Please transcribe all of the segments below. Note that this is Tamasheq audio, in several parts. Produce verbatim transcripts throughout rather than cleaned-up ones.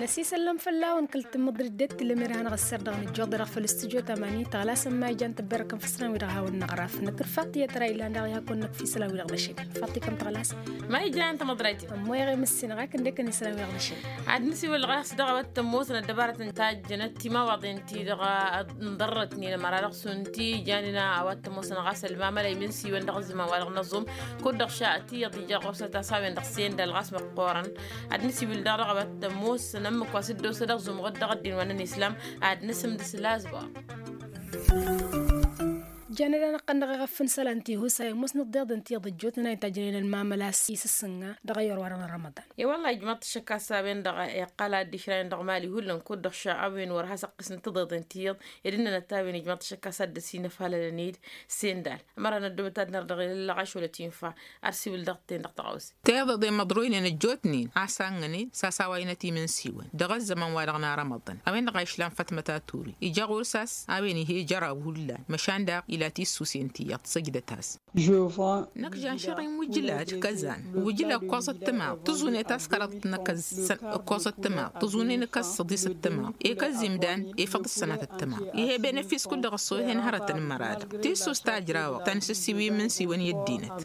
Ăsisăllăm fălla-wăn kăl-tǝmmǝḍrit d-e-t tǝllăm irhan ɣǝssăr dăɣ-nǝjjoḍ-i dăɣ-făl s-tǝjot amani tăɣlasăn ma ijan tǝbberăkăn făssăn wi-dăɣ hawăn-năɣraf năkk d-faṭṭiyăt ra ilan daɣ i-hakk wănnăk f-isălan wi-dăɣ n-ašăgg. Faṭṭi kăm tăɣlas. Ma ijan tămăḍrayt-i. Ămmoyăɣ i-mǝssin ɣakăn d-ekăn isălan wi-dăɣ n-ašăgg. Ad-nǝsiwǝl dăɣ-s dăɣ-awăt tămoosăn ăddăbarăt n-tajjănăt timawaḍen-ti-dăɣ n-ḍărrătnen ămăra dăɣ-s unti ijanen a-wa t-ămoosăn ɣas ălmamăla imǝnsiwăn dăɣ-ăzzăman wa dăɣ-năẓum. Kud-dăɣ ša ătiyăḍ ija ɣur-săn tasawin dăɣ-sen d-alɣas măqqoorăn. Ad-nǝsiwǝl daɣ dăɣ-awăt tămoosăn ǝmmǝk wa s-dd-osa dăɣ-zumɣăt dăɣ-ăddin wa n-islam. Ad-nǝsǝmdǝs lazbor. Janăd-anăɣ-tăn dăɣ-eɣăf n-isălan ti husa i-musnăt d-iḍen ti iḍǝjjotnen a intajjănen ălmamăla s-isǝssǝnga dăɣ-ayyor wa dăɣ-n ramaḍan. I-wălla ijmaḍ-t ăššăk a-s a-wen-dăɣ iqqăl ad-dd-išrayăn dăɣ-mali hullan kud-dăɣ ša a-wen wăr has-ăqqǝsnăt tiḍeḍen ti iḍ ed ǝnnănăt a-wen ijmaḍ-t ăššăk a-s ad-dd-ăsinăfalălăn-dd sendal. Ămăra n-ăddobăt ad-nărdăɣ ilăllăɣ ašwălăt infa. Ar siwǝl dăɣ-ten dăɣ-tăɣawse. Tiḍeḍen măḍroynen ăjjootnen a-s hangănen s-asawayăn ătimǝnsiwăn dăɣ-ăzzăman wa dăɣ-narămăḍăn a-wen-dăɣ a išlan fătmăt a turi ija ɣur-s a-s a-wen ih'-e jăraw hullan măšan daɣ ila tissusen ti iyyăḍ săjdăt-as. Năkk žanšăɣ-in wǝjla d-kăzan wǝjla ǝkkoẓăt tǝmaḍ tǝẓune taskăraḍt n-akăz ǝkkoẓăt tǝmaḍ tǝẓune n-akăz săḍisăt tǝmaḍ ekăz imdan efăḍ ǝssănatăt tǝmaḍ. Ih'-e benefis kull-dăɣ ăṣṣoyhen hărătăn n-măra-dăɣ tissus tajrawăɣ ta n-sǝssiwi imǝnsiwăn i-ăddinăt.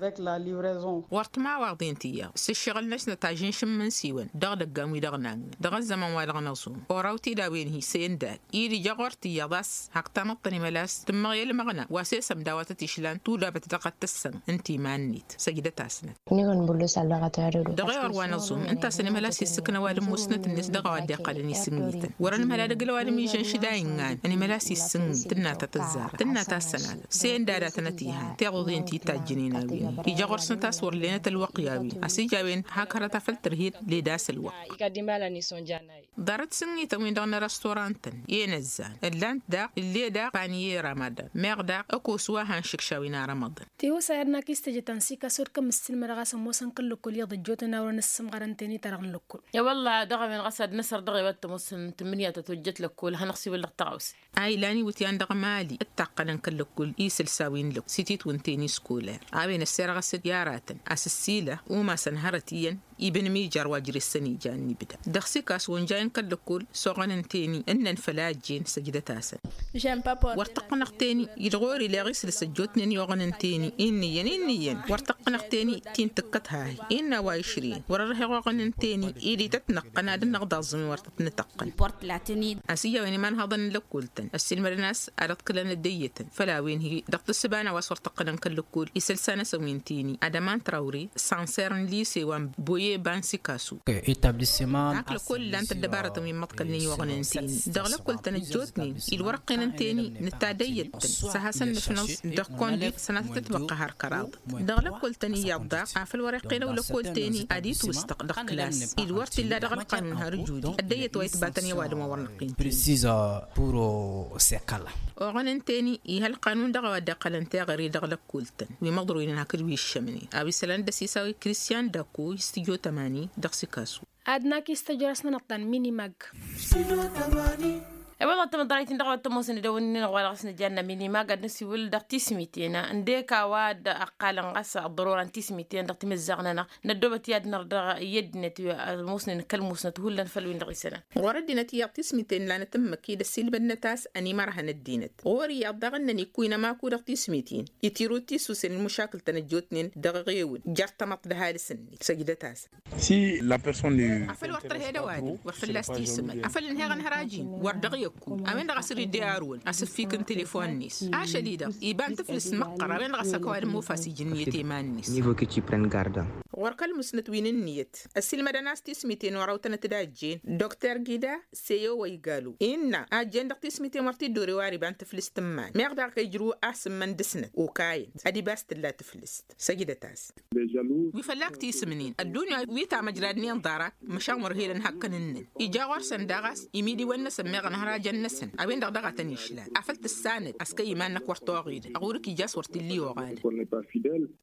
Wăr timawaḍen ti iyyăḍ s-ǝššăɣǝl-năsnăt ažǝnš n-imǝnsiwăn dăɣ-idăggan wi-dăɣ nannăn dăɣ-ăzzăman wa dăɣ-năẓum oraw-t-dd a-wen hi-sendal. Id ija ɣur-t iyyăḍ a-s hak tamăḍt ănimălas tǝmmăɣ i-ălmăɣna wa s-e-sămdawatăt išlan tudabăt dăɣ-ad-tǝssăn ǝnta iman-net. Săjdăt-asnăt. Dăɣ-ewăr wa năẓum ǝnta a-s ănimălas issǝkna ăwadǝm musnăt-net dăɣ-a-wa dd-iqqălăn isǝnnităn wăr-ănmăla dăgg-ălwadǝm ižăn šǝda ingan ănimălas issǝnnit tǝnna ta tăzzarăt tǝnna ta s-sănatăt. Sendal a tănăt-ihan tiḍeḍen ti tajjǝnen a-wen ija ɣur-snăt a-s wăr lenăt ălwăqq i-a-wen a-s ija a-wen hak hărăt afăl tărhed led-as ălwăqq. Ḍarăt s-ǝnnităn-win-dăɣ n-restaurantăn i-inăzzan ǝllan-t daɣ ǝlle daɣ paniye ramaḍan meɣ daɣ ăkos wa hanšǝkša wi n-arămăḍăn. Tihusa i-ad-nak-istăjăt ănsikas wăr kămm-ǝssilmădăɣ a-s ămoosăn kăl-lăkkol iyyăḍ ăjjootnen a wărăn ǝssǝmɣărăn teni ta dăɣ-n lăkkol. I-wălla dăɣ-a-wen ɣas ad-năsăr dăɣ-ewăt tămoosăn tǝmmǝnǝya ta tojjăt lăkkol ad-hanăɣ-siwǝl dăɣ-taɣawse. A ilan iwǝtyan dăɣ-mali ǝttaqqălăn kăl-lăkkol isǝlsa wi n-lăkkol s-ititwǝn teni skolăr a-wen ăssirɣăs-dd i-aratăn a-s ǝssilăɣ umasăn hărăt iyyăn. Ibǝnǝm ijar wa jere-s săn ijan n-ibda dăɣ-s ikas wănjayăn kăl-lăkkol s-oɣăn n-teni ǝnnăn făl a ăjjeen săjdăt-asăn. Wăr tăqqǝnăɣ teni-i d-ɣur-i leɣ isǝlǝs ăjjootnen i-oɣăn n-teni-i n-iyyăn i n-iyyăn wăr tăqqǝnăɣ teni ti n-tǝkkăt hahi innă a-wa išrǝyăn wăr-ărheɣ oɣăn n-teni-i d-ităt-năɣ qăn ad-dd-năɣḍaẓẓǝm i-wăr tăt-nǝtăqqăn. A-s ija a-wen imanhăḍăn n-lăkkol-tăn ăssiilmădăn a-s ad-ăḍkǝlăn ăddăyyătăn făll-a-wen hi-dăɣ tǝssǝba n-a-wa s-wăr tăqqănăn kăl-lăkkol isălsa-năsăn wi n-teni adaman trawre sanser n-lise wa n-boye ba n-sikasu. Hak lăkkol ǝllan-t ăddăbarătăn wi n-imăḍkălnen i-oɣăn n-teni dăɣ-lăkkol-tăn ăjjootnen-i d-wăr-ăqqinăn teni nǝtta ăddăyyăt-tăn s-ad-hasăn-nǝfnăẓ dăɣ-kondit sănatăt ǝtwăqqa har kăraḍăt. Dăɣ-lăkkol-tăn iyyăḍ daɣ afăl wăr-iqqinăw lăkkol-teni ad-itwǝstăɣ dăɣ-klas-i d-wăr t-illa dăɣ-ălqanun har ǝjudi ăddăyyăt wa itbatăn i-ăwadǝm wa wăr năqqin. Oɣăn n-teni ih' ălqanun dăɣ-a-wa dd-iqqălăn teɣăre dăɣ-lăkkol-tăn wi măḍroynen hakd wi ǝššămnen a-wa isălan d-ăsisawăy kristian dăkku i-s tǝjo tămani dăɣ-sikasu. Ad-nak-istăjrăsnănăɣ-tăn minimag. E-wălla tămăḍrayt-in dăɣ-a-wa t-ămoosăn idăwănnin-dăɣ wa dăɣ-s nǝjannă minimag ad-nǝsiwǝl dăɣ-tismiten ǝndek a-wa dd-ăqqalăn ɣas ăḍḍărora n-tismiten dăɣ-timǝzzaɣ-nănăɣ. Năddoobăt i-ad-năr dăɣ-i ăddinăt wi ămoosnen kăl-musnăt hullan făll-win-dăɣ isălan. Ɣur-ăddinăt iyyăḍ tismiten lanăt ǝmmǝk-i d-ăssiilmădnăt a-s ănimărhăn ăddinăt ɣur-iyyăḍ daɣ ǝnnăn ikkuynăm aku dăɣ-tismiten itirǝw tisusen n-imǝšakǝl-tăn ăjjootnen dăɣ-eɣewǝn jer-tamăḍt d-ăhalǝs-net. Săjdăt-asăn. Afăl wăr tărhed ăwadǝm wăr fălla-s tisǝmăd afăl ǝnheɣ ănhăraj-in wăr dăɣ-i ăkku a-wen-dăɣ a-s dd-iyyăr wăl-asǝffik n-telefon-net ašăl-i-dăɣ iba n-tǝflǝst măqqăr a-wen-dăɣ a-s ăkk ăwadǝm ofa s-ijǝnniyăt i-iman-net. Ɣur-kăl-musnăt wi n-ǝnniyăt ăssiilmădăn a-s tismiten oraw-tănăt-dd a ăjjeen dr gida seyo wa igalo innă a ăjjeen dăɣ-tismiten wăr t-dd-ore wăr iba n-tǝflǝst n-iman meɣ daɣ ijrǝw asǝmmăn dăɣ-snăt okayăn ad-iba a-s tǝlla tǝflǝst. Săjdăt-as. Wi fălla-k tisǝmnen ăddunya wi tamăjradnen ḍarăk măšan wăr helăn hakkăn-nǝnnăn ija ɣur-săn daɣ a-s imidiwăn-năsăn meɣ ănhărajăn-năsăn a-wen-dăɣ daɣ a tăn-išlan afăl tǝssanăt a-s kăy-iman-năk wăr toɣedăn ɣur-k ija a-s wăr t-illa i-oɣadăn.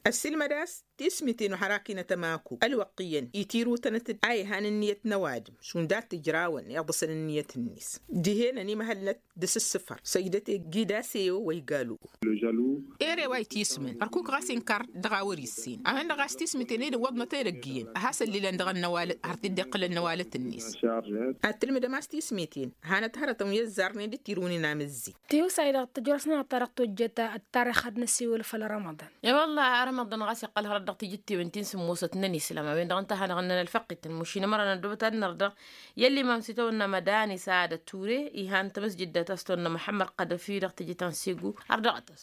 Ăssiilmăd-as tismiten ohărakinăt. tămaku ălwăqq iyyăn itirutănăt-dd a ihan ǝnniyăt n-ăwadǝm šund ad-t-ǝjrawăn iḍǝsăn ǝnniyăt-net. Dihen ănimăhălnăt d-asǝssǝfăr săjdăt-e gidase-o wa igalo. Ere wa itismăn ărkuk ɣas inkăr dăɣ-a wăr-issin a-wen-dăɣ a-s tismiten-i d-ǝwwăḍnăt edăgg iyyăn a has-ăllilăn dăɣ-ănnăwalăt har t-dd-iqqǝlăn n-ăwalăt-net. Ad-tǝlmǝdăm a-s tismiten hanăt hărătăn wi ăzzarnen d-tirǝwnen amǝzzi. Tiwǝsay-dăɣ tǝjrăsnănăɣ ta dăɣ-tojjăt ăttarix ad-năsiwǝl făll-rămăḍan. E-wălla rămăḍan ɣas iqqăl hărăt dăɣ-tijǝttiwen ti n-sǝmmosăt n-ănislam a-wen-dăɣ ǝnta a hanăɣ-ǝnnăn ălfăqqităn mušin ămăra n-ăddoobăt ad-năr dăɣ-i ăllimam s-itawănna mădani săadăt ture. Ihan tamǝsjǝddat a-s tawănna muḥămmăd qadăfi dăɣ-tijǝt ta n-segu har dăɣ-tăs.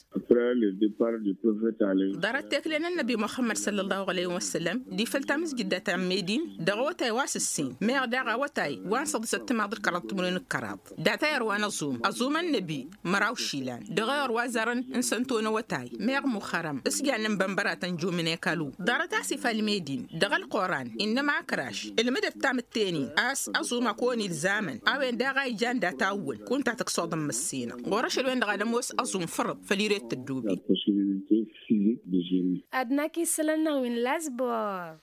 Ḍarăt tekle n-ănnăbi muḥămmăd săllăllahu alăyhi wăssălam di făll-tamǝzjǝddat ta n-medin dăɣ-awătay wa s-ǝssin meɣ daɣ awătay wa n-săḍǝsăt timaḍ d-kăraḍ timǝrwen d-kăraḍ. Data i-ărwa n-ăẓum ăẓum ănnăbi măraw išilan dăɣ-i ărwa zărăn n-sănto n-awătay meɣ muxărăm s-jannen bănbăratăn jumǝn ekalu. Ḍarăt a-s ifall medin dăɣ-ălquran innă ma ăkraš ǝlmǝdăt tamǝtte-nin a-s ăẓum a kăwăn-ilzamăn a-wen daɣ a ijan data awwăn kunta tǝksoḍ n-măssinăɣ ɣur-ašăl-wen-dăɣ ad-ămoos ăẓum fărăḍ făll-iret tăddobe. Ad-năkk isălan-năɣ wi n-lasbor.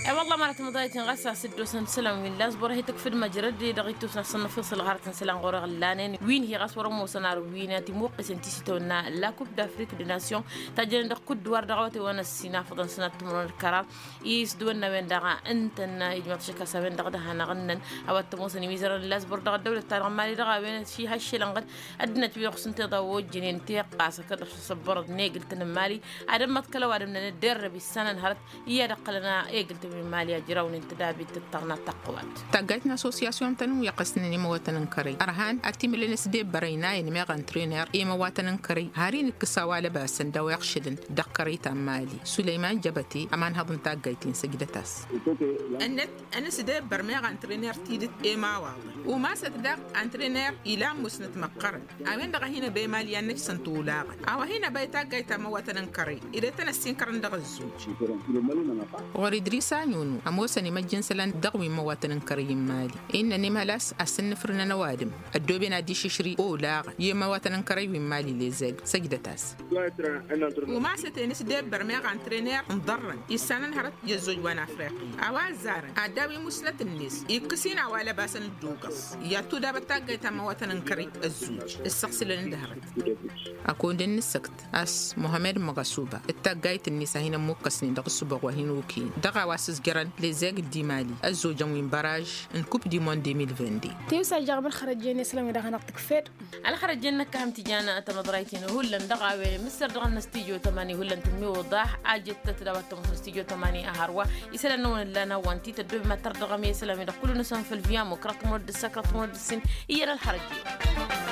E-wălla mărăt măḍayăt-in ɣas a-s dd-osăn isălan wi n-lasbor a hi-tǝkfǝd măjrăd-i dăɣ-ittus n-asăn n-afǝṣǝl ɣarăt n-isălan ɣur-iɣǝllanen wi n-hi-ɣas wăr-ămoosăn ar wi n-atimuqqǝsăn tisitawănna la coupe d'afrique de nation. Tajjănen dăɣ-kudduwar dăɣ-awătay wa n-ăssinafăḍăn sănat timǝrwen d-kăraḍ. Isdǝwănna a-wen-dăɣ ǝntăn ijmăḍ šăkkas a-wen-dăɣ d-hanăɣ-ǝnnăn a-wa t-ămoosăn imizărăn n-lasbor dăɣ-ăddăwlăt-ta-dăɣ n-mali dăɣ-a-wen. Ši haššel ănɣăd ăddinăt wi dăɣ-s ǝnta iḍa ojjănen teqqasăkăt dăɣ-s ăssăbbărăḍ n-egǝltăn n-mali. Ad-ămmăḍkăl ăwadǝm n-anădderrăb issanăn hărăt i-ad-ăqqălăn egǝltăn wi n-mali a ǝjrawnen tădabit tăṭṭăɣna taqqăwat. Taggayt n-assosyasyon-tăn wi ăqqăsnen i-imăwatăn n-kărăy ărhan ad-t-imǝlăn s-debbărăy n-a inmeɣ antrener i-imăwatăn n-kărăy har inǝkkǝs a-wa lăbasăn d-a-wa iɣšǝdăn dăɣ-kărăy ta n-mali. Sulăyman jăbăte ămanhăḍ n-taggayt-in săjdăt-as. Ănnăt ănǝsdebbăr meɣ antrener tidǝt i-imawaḍăn umasăt daɣ antrener ilan musnăt măqqărăn. A-wen-dăɣ a hin-ăba i-mali i-ad-nǝjsăn tolaɣăn a-wa hin-ăba i-taggayt ta n-imăwatăn n-kărăy. Ed e-tăn-ăssinkărăn dăɣ-ăzzuj. Ɣur-idris anyunu ămoosăn imăjj n-isălan dăɣ-wi n-imăwatăn n-kărăy n-mali. Innă ănimhăl a-s asǝnnǝfrǝnăn ăwadǝm ăddooben ad-išǝšri olaɣăn i-imăwatăn n-kărăy wi n-mali lezeg. Săjdăt-as. Umasăt-en s-debbăr meɣ antrener n-iḍarrăn issanăn hărăt i-ăzzoj wa n-afriqi a-wa ăzzarăn ad-daw-i musnăt-net ikkăs-in a-wa lăbasăn dd-ogăẓ. I-ad-tudabăt taggayt ta n-imăwatăn n-kărăy ăzzoj ǝssăɣsǝlăn d-hărăt. Ăkund ǝnnǝsăkt a-s muhămmed măɣăsuba d-taggayt-net a hin-ămmukkăsnen dăɣ-ǝssǝboɣ wa hin-okăyăn dăɣ-a-wa s-ǝzjărăn lezeg d-imali ăzzojăn wi n-băraj n-coupe du monde deux mille vingt-deux. Tiwǝs a jaɣ-mălxărăjjen isălan wi dăɣ-hanăɣ-tǝkfed. Ălxărăjjen năkkăhăm tijan tamăḍrayt-in hullan dăɣ-a-wen mǝssăr dăɣ-ănnăs tijo tămani hullan tǝmmiwǝḍax. A jettăt d-a-wa t-ămoosăn s-tijo tămani a hărwa isălan-năwăn ǝllan a-wa n-tităddob mad-tărdăɣăm i-isălan-wi-dăɣ kullu-năsăn făll-viyam wa kăraḍ timǝrwăt d-ǝssa kăraḍ timǝrwăt d-ǝssin. Iyyăn ălxărăjjen.